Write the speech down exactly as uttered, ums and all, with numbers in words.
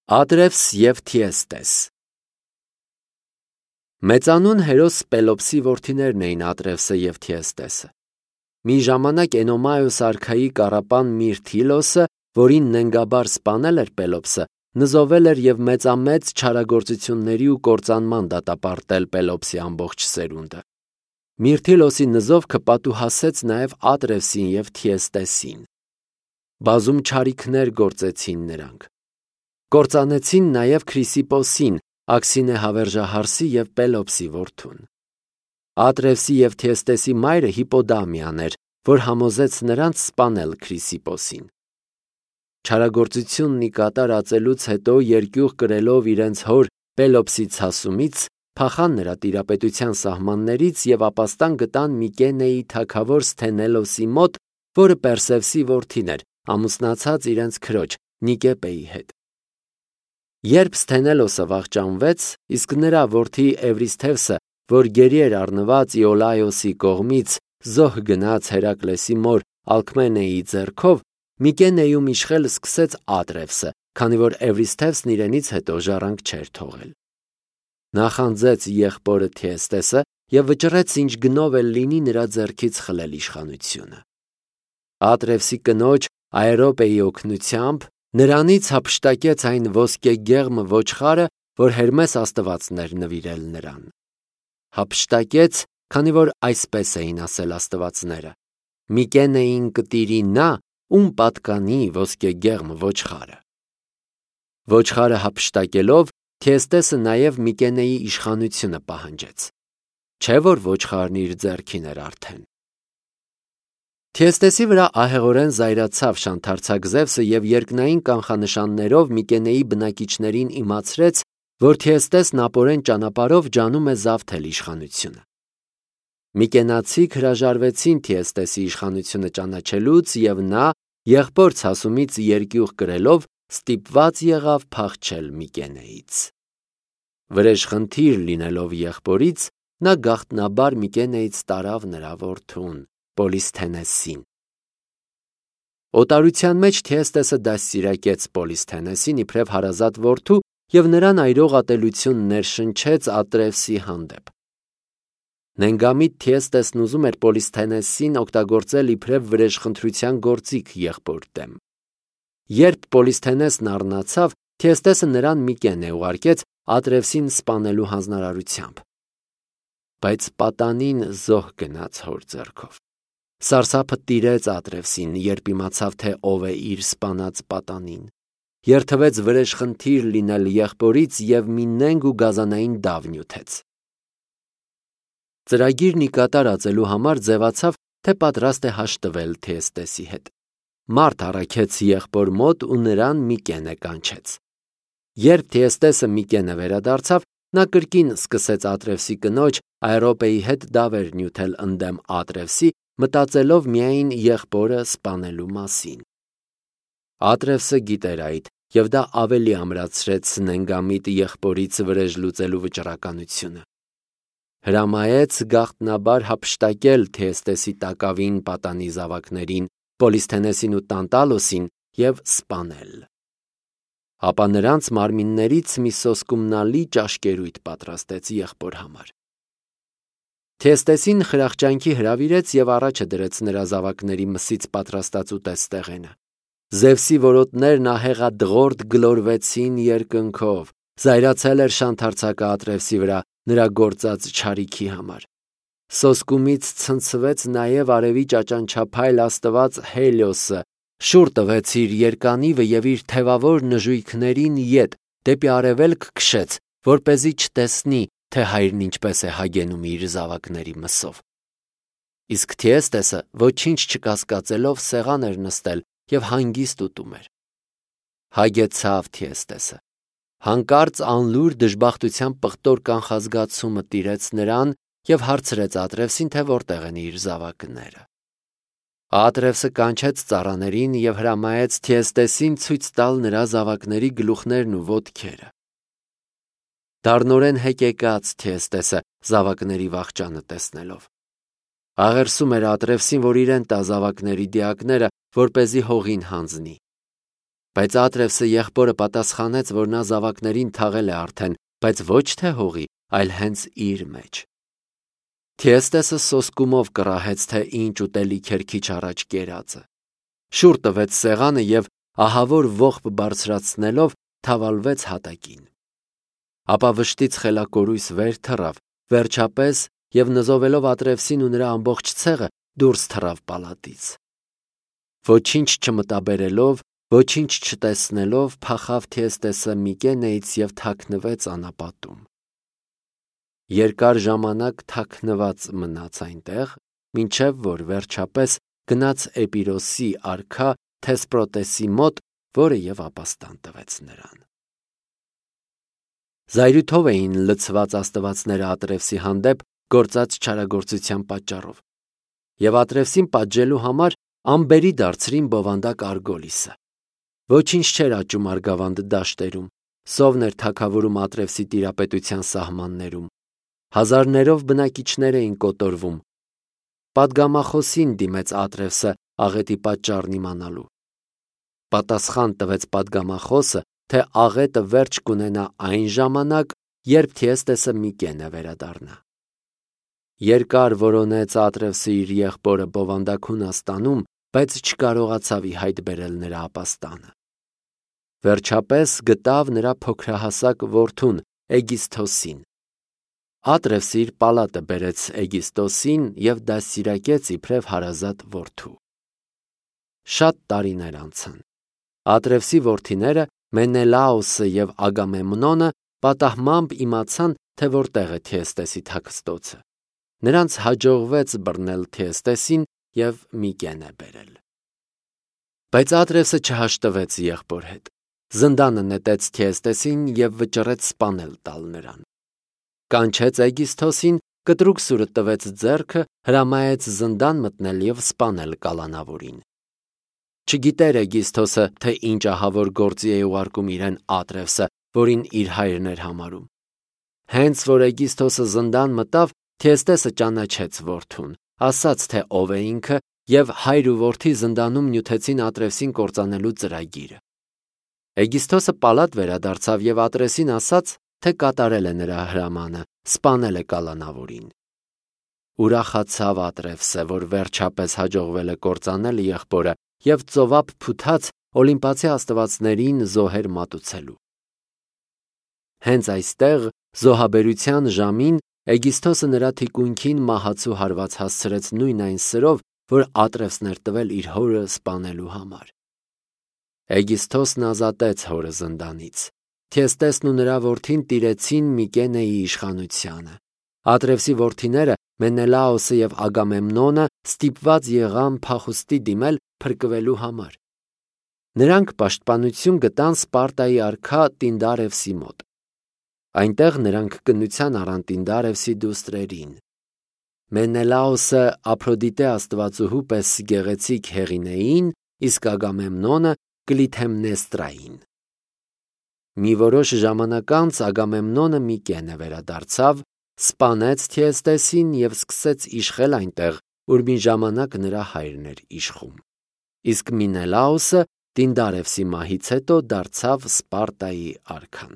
Ադրևս և Թիեստես Մեծանուն հերոս Պելոպսի որդիներն էին Ադրևսը և Թիեստեսը։ Մի ժամանակ Էնոմայոս արքայի կառապան Միրթիլոսը, որին նենգաբար սպանել էր Պելոպսը, նզովել էր և մեծամեծ չարագործությունների ու կործանման դատապարտել Պելոպսի ամբողջ սերունդը։ Միրթիլոսի նզովքը պատուհասեց նաև Ադրևսին և Թիեստեսին։ Բազում չարիքներ գործեցին նրանք։ Կործանեցին նաև Քրիսիպոսին, Աքսինե հավերժահարսի և Պելոպսի որդուն։ Ադրևսի և Թիեստեսի մայրը Հիպոդամիան էր, որ համոզեց նրանց սպանել Քրիսիպոսին։ Չարագործությունն ի կատար ածելուց հետո, երկյուղ կրելով իրենց հոր Պելոպսի ցասումից, փախան նրա տիրապետության սահմաններից և ապաստան գտան Միկենեի թագավոր Սթենելոսի մոտ, որը Պերսևսի որդին էր, ամուսնացած իրենց քրոջ Նիկեպեի հետ։ Երբ Սթենելոսը վախճանվեց, իսկ նրա որդի Էվրիսթևսը, որ գերի էր առնված Իոլայոսի կողմից, զոհ գնաց Հերակլեսի մոր Ալքմենեի ձեռքով, Միկենեում իշխել սկսեց Ադրևսը, քանի որ Էվրիսթևսն իրենից հետո ժառանգ չէր թողել։ Նախանձեց եղբորը Թիեստեսը և վճռեց ինչ գնով էլ լինի նրա ձեռքից խլել իշխանությունը։ Ադրևսի կնոջ Աերոպեի օգնությամբ նրանից հափշտակեց այն ոսկեգեղմ ոչխարը, որ Հերմես աստվածն էր նվիրել նրան։ Հափշտակեց, քանի որ այսպես էին ասել աստվածները. Միկենեին կտիրի նա, ում պատկանի ոսկեգեղմ ոչխարը։ Ոչխարը հափշտակելով, Թիեստեսը նաև Միկենեի իշխանությունը պահանջեց։ Չէ՞ որ ոչխարն իր ձեռքին էր արդեն։ Թիեստեսի վրա ահեղորեն զայրացավ շանթարցակ Զևսը և երկնային կանխանշաններով Միկենեի բնակիչներին իմացրեց, որ Թիեստեսն ապորեն ճանապարհով ջանում է զավթել իշխանությունը։ Միկենացիք հրաժարվեցին Թիեստեսի իշխանությունը ճանաչելուց, և նա, եղբոր ցասումից երկյուղ կրելով, ստիպված եղավ փախչել Միկենեից։ Վրեժխնդիր լինելով եղբորից, նա գաղտնաբար Միկենեից տարավ նրա որդուն Պոլիսթենեսին։ Օտարության մեջ Թիեստեսը դաստիարակեց Պոլիսթենեսին իբրև հարազատ որդու և նրան այրող ատելություն ներշնչեց Ադրևսի հանդեպ։ Նենգամիտ Թիեստեսն ուզում էր Պոլիսթենեսին օգտագործել իբրև վրեժխնդրության գործիք եղբոր դեմ։ Երբ Պոլիսթենեսն առնացավ, Թիեստեսը նրան Միկենե ուղարկեց Ադրևսին սպանելու հանձնարարությամբ։ Բայց պատանին զոհ գնաց հոր ձեռքով։ Սարսափը տիրեց Ադրևսին, երբ իմացավ, թե ով է իր սպանած պատանին։ Երթվեց վրեժխնդիր լինել եղբորից և մի նենգ ու գազանային դավ նյութեց։ Ծրագիրն ի կատար ածելու համար ձևացավ, թե պատրաստ է հաշտվել Թիեստեսի հետ։ Մարդ առաքեց եղբոր մոտ ու նրան Միկենե կանչեց։ Երբ Թիեստեսը Միկենե վերադարձավ, նա կրկին սկսեց Ադրևսի կնոջ Աերոպեի հետ դավեր նյութել ընդդեմ Ադրևսի, մտածելով միայն եղբորը սպանելու մասին։ Ադրևսը գիտեր այդ, և դա ավելի ամրացրեց նենգամիտ եղբորից վրեժ լուծելու վճռականությունը։ Հրամայեց գաղտնաբար հափշտակել Թիեստեսի տակավին պատանի զավակներին, Պոլիսթենեսին ու Տանտալոսին և սպանել։ Ապա նրանց մարմիններից մի սոսկումնալի ճաշկերույթ պատրաստեց եղբոր համար։ Թիեստեսին խրախճանքի հրավիրեց և առաջը դրեց նրա զավակների մսից պատրաստած ուտեստեղենը։ Զևսի որոտներն ահեղադղորդ գլորվեցին երկնքով։ Զայրացել էր շանթարցակը Ադրևսի վրա նրա գործած չարիքի համար։ Սոսկումից ցնցվեց նաև արևի ճաճանչափայլ աստված Հելիոսը, շուռ տվեց իր երկանիվը և իր թևավոր նժույգներին ետ դեպի արևելք քշեց, որպեսզի չտեսնի, թե հայրն ինչպես է հագենում իր զավակների մսով։ Իսկ Թիեստեսը ոչինչ չկասկածելով սեղան էր նստել և հանգիստ ուտում էր։ Հագեցավ Թիեստեսը։ Հանկարծ անլուր դժբախտության պղտոր կանխազգացումը տիրեց նրան և հարցրեց Ադրևսին, թե որտեղ են իր զավակները։ Ադրևսը կանչեց ծառաներին և հրամայեց Թիեստեսին ցույց տալ նրա զավակների գլուխներն ու ոտքերը։ Դառնորեն հեկեկաց Թիեստեսը զավակների վախճանը տեսնելով։ Աղերսում էր Ադրևսին, որ իրեն տա զավակների դիակները, որպեսզի հողին հանձնի։ Բայց Ատրևսը եղբորը պատասխանեց, որ նա զավակներին թաղել է արդեն, բայց ոչ թե հողի, այլ հենց իր մեջ։ Թիեստեսը սոսկումով կռահեց, թե ինչ ուտելիք էր քիչ առաջ կերածը։ Շուռ տվեց սեղանը և ահավոր ողբ բարձրացնելով թավալվեց հատակին։ Ապա վշտից խելակորույս վեր թռավ, վերջապես և նզովելով Ատրևսին ու նրա ամբողջ ցեղը դուրս թռավ պալատից։ Ոչինչ չմտաբերելով, ոչինչ չտեսնելով փախավ Թիեստեսը Միկենեից և թաքնվեց անապատում։ Երկար ժամանակ թաքնված մնաց այնտեղ, մինչև որ վերջապես գնաց Էպիրոսի արքա Թեսպրոտեսի մոտ, որը և ապաստան տվեց նրան։ Զայրույթով էին լցված աստվածները Ատրևսի հանդեպ գործած չարագործության պատճառով, և Ատրևսին պատժելու համար անբերի դարձրին բովանդակ Արգոլիսը։ Ոչինչ չէր աճում Արգավանդ դաշտերում, սովն էր թագավորում Ատրևսի տիրապետության սահմաններում, հազարներով բնակիչներ էին կոտորվում։ Պատգամախոսին դիմեց Ատրևսը աղետի պատճառն իմանալու։ Պատասխան տվեց պատգամախոսը, թե աղետը վերջ կունենա այն ժամանակ, երբ Թիեստեսը Միկենե վերադառնա։ Երկար որոնեց Ատրևսը իր եղբորը բովանդակ Հունաստանում, բայց չկարողացավ ի հայտ բերել նրա ապաստանը։ Վերջապես գտավ նրա փոքրահասակ որդուն Էգիսթոսին։ Ատրևսը իր պալատը բերեց Էգիսթոսին և դաստիարակեց իբրև հարազատ որդու։ Շատ տարիներ անցան։ Ատրևսի որդիները Մենելաոսը և Ագամեմնոնը պատահմամբ իմացան, թե որտեղ է Թիեստեսի թաքստոցը։ Նրանց հաջողվեց բռնել Թիեստեսին և Միկենե բերել։ Բայց Ատրևսը չհաշտվեց եղբոր հետ։ Զնդանը նետեց Թիեստեսին և վճռեց սպանել տալ նրան։ Կանչեց Էգիսթոսին, կտրուկ սուրը տվեց ձեռքը, հրամայեց զնդան մտնել և սպանել կալանավորին։ Չգիտեր Էգիսթոսը, թե ինչ ահավոր գործի է ուղարկում իրեն Ատրևսը, որին իր հայրն էր համարում։ Հենց որ Էգիսթոսը զնդան մտավ, Թիեստեսը ճանաչեց որդուն, ասաց, թե ով է ինքը, և հայր ու որդի զնդանում նյութեցին Ատրևսին կործանելու ծրագիրը։ Էգիսթոսը պալատ վերադարձավ և Ատրևսին ասաց, թե կատարել է նրա հրամանը, սպանել է կալանավորին։ Ուրախացավ Ատրևսը, որ վերջապես հաջողվել է կործանել եղբորը, և ծովափ փութաց Օլիմպացի աստվածներին զոհեր մատուցելու։ Հենց այստեղ զոհաբերության ժամին Էգիսթոսը նրա թիկունքին մահացու հարված հասցրեց նույն այն սրով, որ Ատրևսն էր տվել իր հորը սպանելու համար։ Էգիսթոսն ազատեց հորը զնդանից։ Թիեստեսն ու նրա որդին տիրեցին Միկենեի իշխանությանը։ Ատրևսի որդիները Մենելաոսը և Ագամեմնոնը ստիպված եղան փախուստի դիմել փրկվելու համար։ Նրանք պաշտպանություն գտան Սպարտայի արքա Տինդարևսի մոտ։ Այնտեղ նրանք կնության առան Տինդարևսի դուստրերին։ Մենելաոսը Ափրոդիտե աստվածուհու պես գեղեցիկ Հեղինեին, իսկ Ագամեմնոնը Կլիթեմնեստրային։ Մի որոշ ժամանակ անց Ագամեմնոնը Միկենե վերադարձավ, սպանեց Թիեստեսին և սկսեց իշխել այնտեղ, ուր մի ժամանակ նրա հայրն էր իշխում։ Իսկ Մենելաոսը Տինդարևսի մահից հետո դարձավ Սպարտայի արքան։